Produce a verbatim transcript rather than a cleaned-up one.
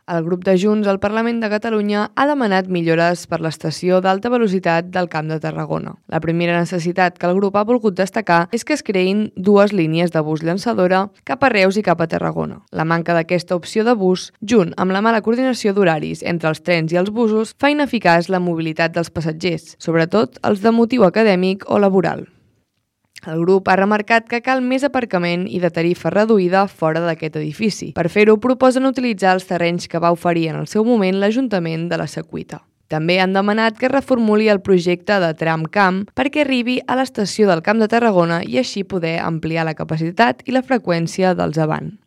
El grup de Junts al Parlament de Catalunya ha demanat millores per l'estació d'alta velocitat del Camp de Tarragona. La primera necessitat que el grup ha volgut destacar és que es creïn dues línies de bus llançadora cap a Reus i cap a Tarragona. La manca d'aquesta opció de bus, junt amb la mala coordinació d'horaris entre els trens i els busos, fa ineficaç la mobilitat dels passatgers, sobretot els de motiu acadèmic o laboral. El grup ha remarcat que cal més aparcament i de tarifa reduïda fora d'aquest edifici. Per fer-ho, proposen utilitzar els terrenys que va oferir en el seu moment l'Ajuntament de la Secuita. També han demanat que es reformuli el projecte de tram-camp perquè arribi a l'estació del Camp de Tarragona i així poder ampliar la capacitat i la freqüència dels avant.